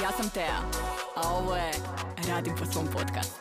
Ja sam Tea, a ovo je Radim po svom podcastu.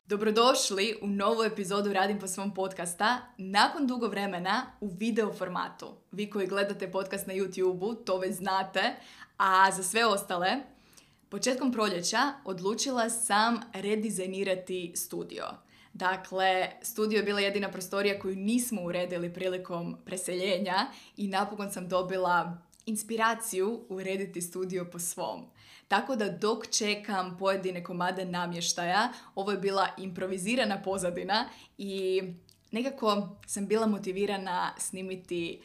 Dobrodošli u novu epizodu Radim po svom podcasta nakon dugo vremena u video formatu. Vi koji gledate podcast na YouTube-u to već znate, a za sve ostale, početkom proljeća odlučila sam redizajnirati studio. Dakle, studio je bila jedina prostorija koju nismo uredili prilikom preseljenja i napokon sam dobila inspiraciju urediti studio po svom. Tako da dok čekam pojedine komade namještaja, ovo je bila improvizirana pozadina i nekako sam bila motivirana snimiti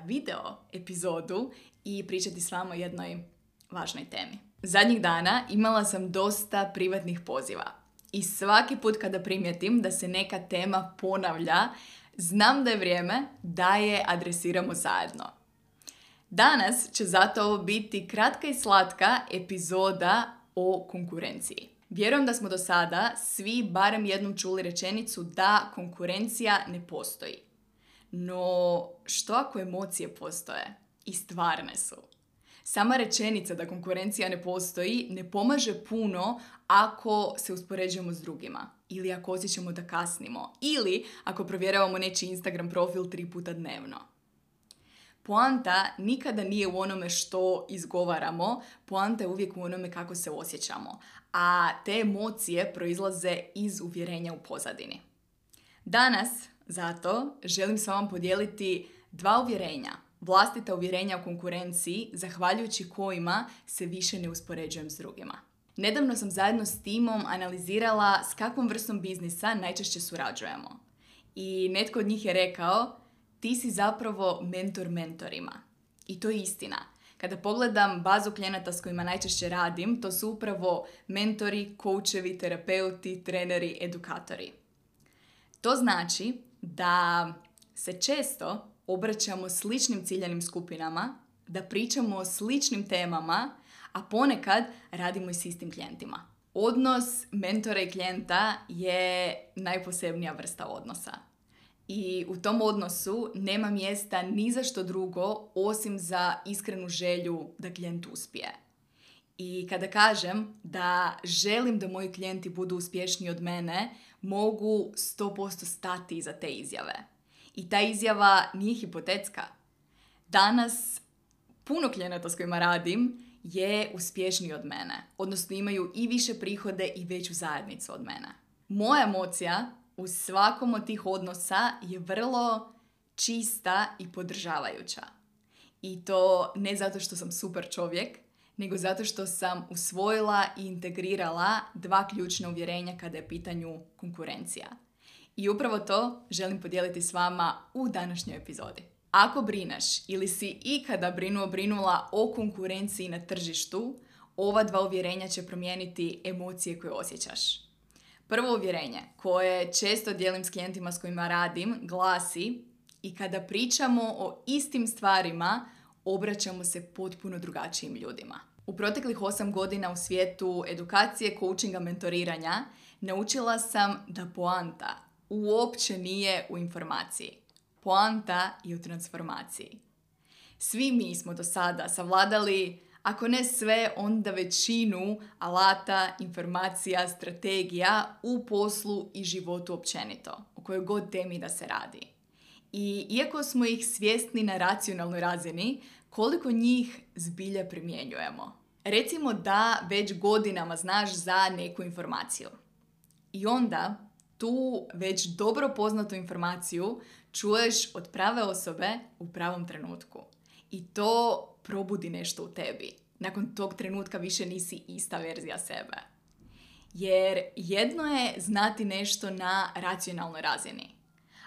video epizodu i pričati s vama o jednoj važnoj temi. Zadnjih dana imala sam dosta privatnih poziva i svaki put kada primijetim da se neka tema ponavlja, znam da je vrijeme da je adresiramo zajedno. Danas će zato ovo biti kratka i slatka epizoda o konkurenciji. Vjerujem da smo do sada svi barem jednom čuli rečenicu da konkurencija ne postoji. No, što ako emocije postoje? I stvarne su. Sama rečenica da konkurencija ne postoji ne pomaže puno ako se uspoređujemo s drugima. Ili ako osjećamo da kasnimo. Ili ako provjeravamo nečiji Instagram profil 3 puta dnevno. Poanta nikada nije u onome što izgovaramo, poanta je uvijek u onome kako se osjećamo, a te emocije proizlaze iz uvjerenja u pozadini. Danas, zato, želim s vama podijeliti 2 uvjerenja, vlastita uvjerenja o konkurenciji, zahvaljujući kojima se više ne uspoređujem s drugima. Nedavno sam zajedno s timom analizirala s kakvom vrstom biznisa najčešće surađujemo. I netko od njih je rekao: ti si zapravo mentor mentorima. I to je istina. Kada pogledam bazu klijenata s kojima najčešće radim, to su upravo mentori, koučevi, terapeuti, treneri, edukatori. To znači da se često obraćamo sličnim ciljanim skupinama, da pričamo o sličnim temama, a ponekad radimo i s istim klijentima. Odnos mentora i klijenta je najposebnija vrsta odnosa. I u tom odnosu nema mjesta ni za što drugo osim za iskrenu želju da klijent uspije. I kada kažem da želim da moji klijenti budu uspješniji od mene, mogu 100% stati iza te izjave. I ta izjava nije hipotetska. Danas puno klijenata s kojima radim je uspješniji od mene, odnosno imaju i više prihode i veću zajednicu od mene. Moja emocija u svakom od tih odnosa je vrlo čista i podržavajuća. I to ne zato što sam super čovjek, nego zato što sam usvojila i integrirala 2 ključna uvjerenja kada je pitanju konkurencija. I upravo to želim podijeliti s vama u današnjoj epizodi. Ako brineš ili si ikada brinula o konkurenciji na tržištu, ova 2 uvjerenja će promijeniti emocije koje osjećaš. Prvo uvjerenje, koje često dijelim s klijentima s kojima radim, glasi: i kada pričamo o istim stvarima, obraćamo se potpuno drugačijim ljudima. U proteklih 8 godina u svijetu edukacije, coachinga, mentoriranja, naučila sam da poanta uopće nije u informaciji. Poanta je u transformaciji. Svi mi smo do sada savladali, ako ne sve, onda većinu alata, informacija, strategija u poslu i životu općenito, o kojoj god temi da se radi. I iako smo ih svjesni na racionalnoj razini, koliko njih zbilja primjenjujemo? Recimo da već godinama znaš za neku informaciju. I onda tu već dobro poznatu informaciju čuješ od prave osobe u pravom trenutku. I to probudi nešto u tebi. Nakon tog trenutka više nisi ista verzija sebe. Jer jedno je znati nešto na racionalnoj razini,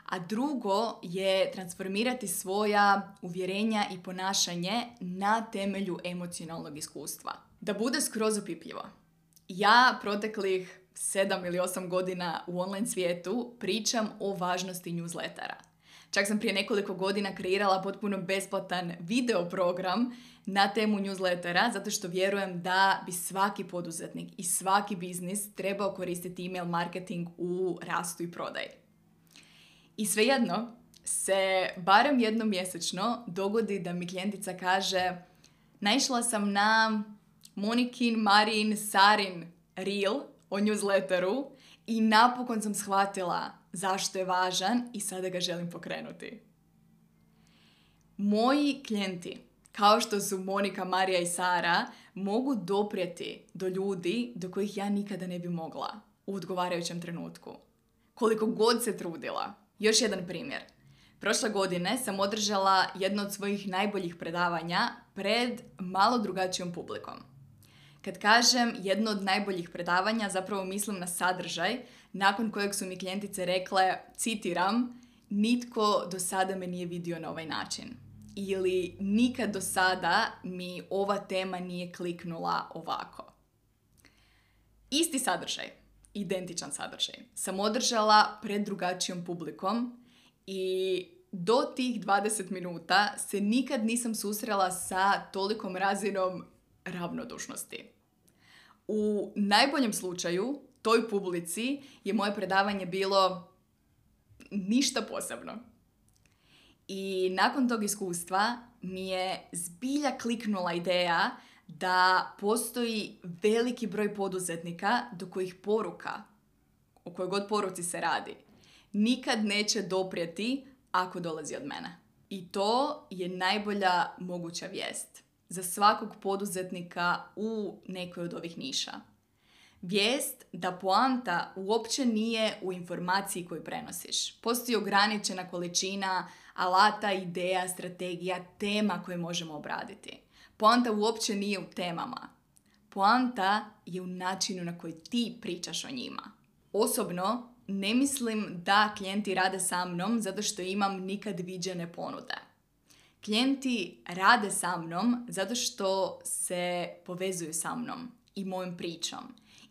a drugo je transformirati svoja uvjerenja i ponašanje na temelju emocionalnog iskustva. Da bude skroz opipljivo. Ja proteklih 7 ili 8 godina u online svijetu pričam o važnosti newslettera. Čak sam prije nekoliko godina kreirala potpuno besplatan video program na temu newslettera, zato što vjerujem da bi svaki poduzetnik i svaki biznis trebao koristiti email marketing u rastu i prodaji. I svejedno se barem jednom mjesečno dogodi da mi klijentica kaže: naišla sam na Monikin, Marin, Sarin reel o newsletteru i napokon sam shvatila zašto je važan i sada ga želim pokrenuti. Moji klijenti, kao što su Monika, Marija i Sara, mogu doprijeti do ljudi do kojih ja nikada ne bi mogla u odgovarajućem trenutku. Koliko god se trudila. Još jedan primjer. Prošle godine sam održala jedno od svojih najboljih predavanja pred malo drugačijom publikom. Kad kažem jedno od najboljih predavanja, zapravo mislim na sadržaj, nakon kojeg su mi klijentice rekle, citiram, nitko do sada me nije vidio na ovaj način. Ili nikad do sada mi ova tema nije kliknula ovako. Isti sadržaj, identičan sadržaj, sam održala pred drugačijom publikom i do tih 20 minuta se nikad nisam susrela sa tolikom razinom ravnodušnosti. U najboljem slučaju, toj publici je moje predavanje bilo ništa posebno. I nakon tog iskustva mi je zbilja kliknula ideja da postoji veliki broj poduzetnika do kojih poruka, o kojoj god poruci se radi, nikad neće doprijeti ako dolazi od mene. I to je najbolja moguća vijest za svakog poduzetnika u nekoj od ovih niša. Vijest da poanta uopće nije u informaciji koju prenosiš. Postoji ograničena količina alata, ideja, strategija, tema koje možemo obraditi. Poanta uopće nije u temama. Poanta je u načinu na koji ti pričaš o njima. Osobno, ne mislim da klijenti rade sa mnom zato što imam nikad viđene ponude. Klijenti rade sa mnom zato što se povezuju sa mnom i mojom pričom.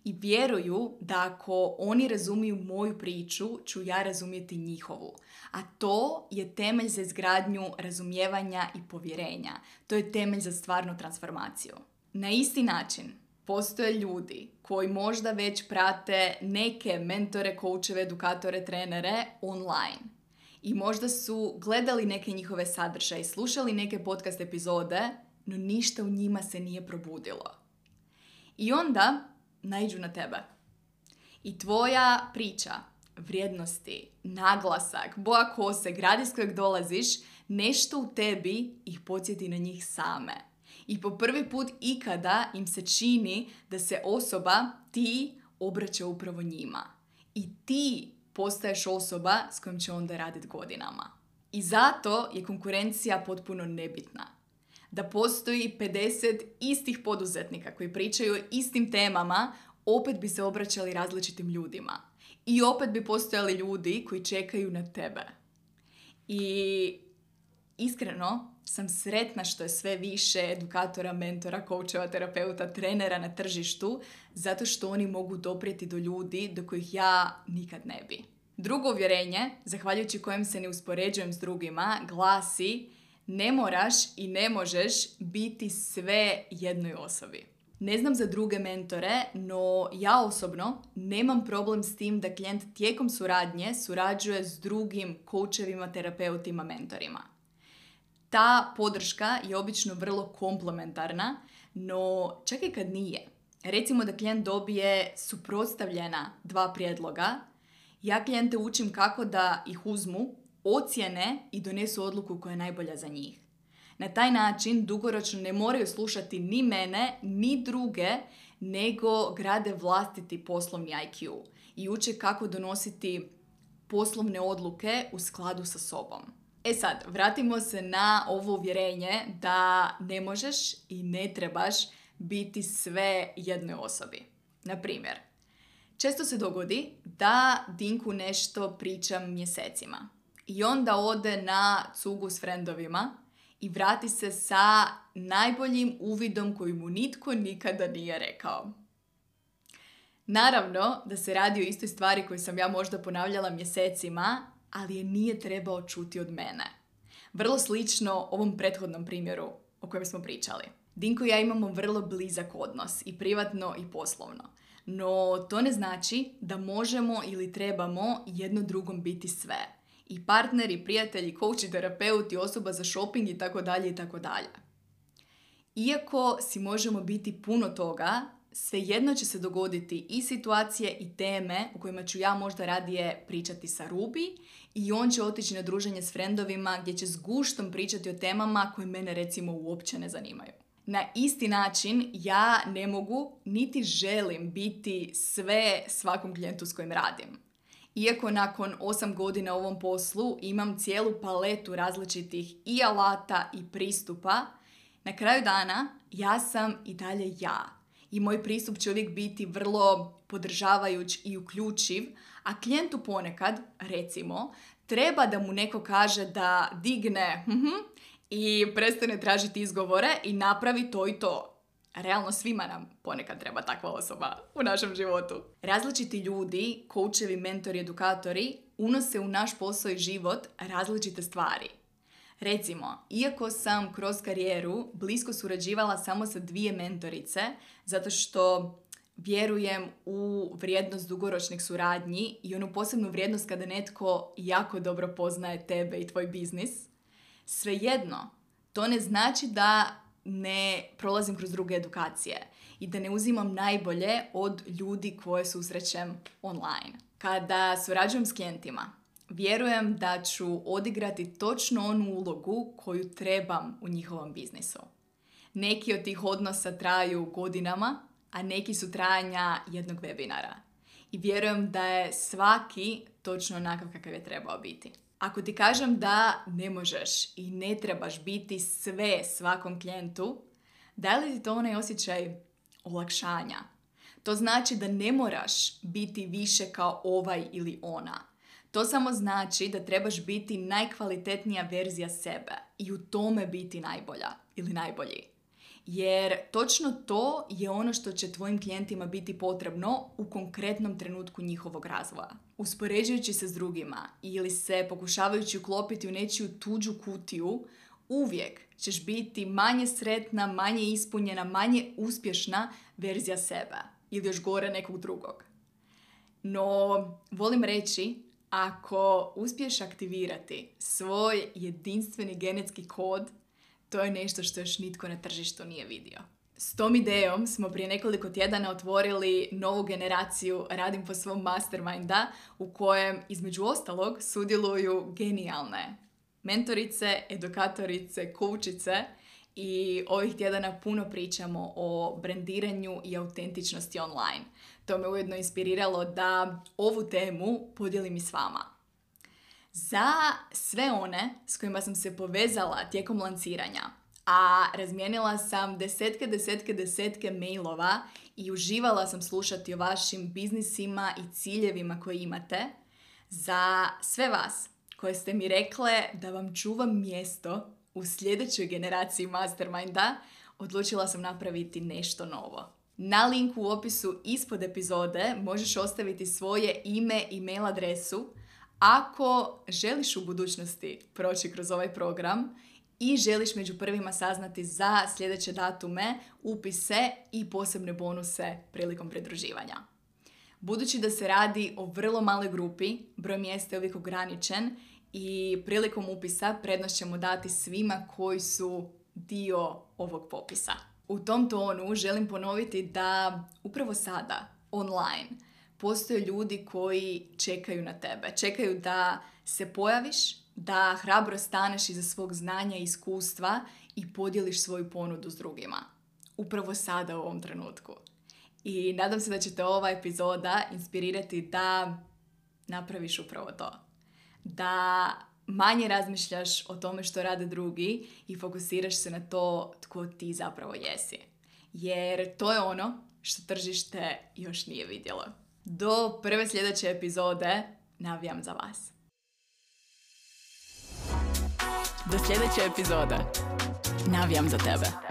I vjeruju da ako oni razumiju moju priču, ću ja razumjeti njihovu. A to je temelj za izgradnju razumijevanja i povjerenja. To je temelj za stvarnu transformaciju. Na isti način postoje ljudi koji možda već prate neke mentore, koučeve, edukatore, trenere online. I možda su gledali neke njihove sadržaje, slušali neke podcast epizode, no ništa u njima se nije probudilo. I onda naiđu na tebe. I tvoja priča, vrijednosti, naglasak, boja kose, grad iz kojeg dolaziš, nešto u tebi ih podsjeti na njih same. I po prvi put ikada im se čini da se osoba, ti, obraća upravo njima. I ti postaješ osoba s kojom će onda raditi godinama. I zato je konkurencija potpuno nebitna. Da postoji 50 istih poduzetnika koji pričaju o istim temama, opet bi se obraćali različitim ljudima. I opet bi postojali ljudi koji čekaju na tebe. I iskreno sam sretna što je sve više edukatora, mentora, koučeva, terapeuta, trenera na tržištu, zato što oni mogu doprijeti do ljudi do kojih ja nikad ne bi. Drugo uvjerenje, zahvaljujući kojem se ne uspoređujem s drugima, glasi: ne moraš i ne možeš biti sve jednoj osobi. Ne znam za druge mentore, no ja osobno nemam problem s tim da klijent tijekom suradnje surađuje s drugim koučevima, terapeutima, mentorima. Ta podrška je obično vrlo komplementarna, no čak i kad nije. Recimo da klijent dobije suprotstavljena 2 prijedloga, ja klijente učim kako da ih uzmu, ocijene i donesu odluku koja je najbolja za njih. Na taj način dugoročno ne moraju slušati ni mene, ni druge, nego grade vlastiti poslovni IQ i uče kako donositi poslovne odluke u skladu sa sobom. E sad, vratimo se na ovo uvjerenje da ne možeš i ne trebaš biti sve jednoj osobi. Na primjer, često se dogodi da Dinku nešto pričam mjesecima i onda ode na cugu s frendovima i vrati se sa najboljim uvidom koji mu nitko nikada nije rekao. Naravno da se radi o istoj stvari koju sam ja možda ponavljala mjesecima, ali je nije trebao čuti od mene. Vrlo slično ovom prethodnom primjeru o kojem smo pričali. Dinko i ja imamo vrlo blizak odnos, i privatno i poslovno. No to ne znači da možemo ili trebamo jedno drugom biti sve. I partner, i prijatelj, i coach, i terapeut, i osoba za shopping, i tako dalje, i tako dalje. Iako si možemo biti puno toga, svejedno će se dogoditi i situacije i teme u kojima ću ja možda radije pričati sa Ruby i on će otići na druženje s frendovima gdje će s guštom pričati o temama koje mene recimo uopće ne zanimaju. Na isti način ja ne mogu niti želim biti sve svakom klijentu s kojim radim. Iako nakon 8 godina u ovom poslu imam cijelu paletu različitih i alata i pristupa, na kraju dana ja sam i dalje ja. I moj pristup će uvijek biti vrlo podržavajuć i uključiv, a klijentu ponekad, recimo, treba da mu neko kaže da digne i prestane tražiti izgovore i napravi to i to. Realno svima nam ponekad treba takva osoba u našem životu. Različiti ljudi, koučevi, mentori, edukatori, unose u naš posao i život različite stvari. Recimo, iako sam kroz karijeru blisko surađivala samo sa 2 mentorice, zato što vjerujem u vrijednost dugoročnih suradnji i onu posebnu vrijednost kada netko jako dobro poznaje tebe i tvoj biznis, svejedno, to ne znači da ne prolazim kroz druge edukacije i da ne uzimam najbolje od ljudi koje susrećem online. Kada surađujem s klijentima, vjerujem da ću odigrati točno onu ulogu koju trebam u njihovom biznisu. Neki od tih odnosa traju godinama, a neki su trajanja jednog webinara. I vjerujem da je svaki točno onakav kakav je trebao biti. Ako ti kažem da ne možeš i ne trebaš biti sve svakom klijentu, da li ti to onaj osjećaj olakšanja? To znači da ne moraš biti više kao ovaj ili ona. To samo znači da trebaš biti najkvalitetnija verzija sebe i u tome biti najbolja ili najbolji. Jer točno to je ono što će tvojim klijentima biti potrebno u konkretnom trenutku njihovog razvoja. Uspoređujući se s drugima ili se pokušavajući uklopiti u nečiju tuđu kutiju, uvijek ćeš biti manje sretna, manje ispunjena, manje uspješna verzija sebe ili još gore nekog drugog. No, volim reći, ako uspiješ aktivirati svoj jedinstveni genetski kod, to je nešto što još nitko na tržištu nije vidio. S tom idejom smo prije nekoliko tjedana otvorili novu generaciju Radim po svom masterminda u kojem između ostalog sudjeluju genijalne mentorice, edukatorice, koučice i ovih tjedana puno pričamo o brendiranju i autentičnosti online. To me ujedno inspiriralo da ovu temu podijelim i s vama. Za sve one s kojima sam se povezala tijekom lanciranja, a razmijenila sam desetke mailova i uživala sam slušati o vašim biznisima i ciljevima koje imate, za sve vas koje ste mi rekle da vam čuvam mjesto u sljedećoj generaciji Masterminda, odlučila sam napraviti nešto novo. Na linku u opisu ispod epizode možeš ostaviti svoje ime i mail adresu ako želiš u budućnosti proći kroz ovaj program i želiš među prvima saznati za sljedeće datume, upise i posebne bonuse prilikom pridruživanja. Budući da se radi o vrlo maloj grupi, broj mjesta je uvijek ograničen i prilikom upisa prednost ćemo dati svima koji su dio ovog popisa. U tom tonu želim ponoviti da upravo sada, online, postoje ljudi koji čekaju na tebe. Čekaju da se pojaviš, da hrabro staneš iza svog znanja i iskustva i podijeliš svoju ponudu s drugima. Upravo sada u ovom trenutku. I nadam se da će te ova epizoda inspirirati da napraviš upravo to. Da manje razmišljaš o tome što rade drugi i fokusiraš se na to tko ti zapravo jesi. Jer to je ono što tržište još nije vidjelo. Do prve sljedeće epizode navijam za vas. Do sljedeće epizode navijam za tebe.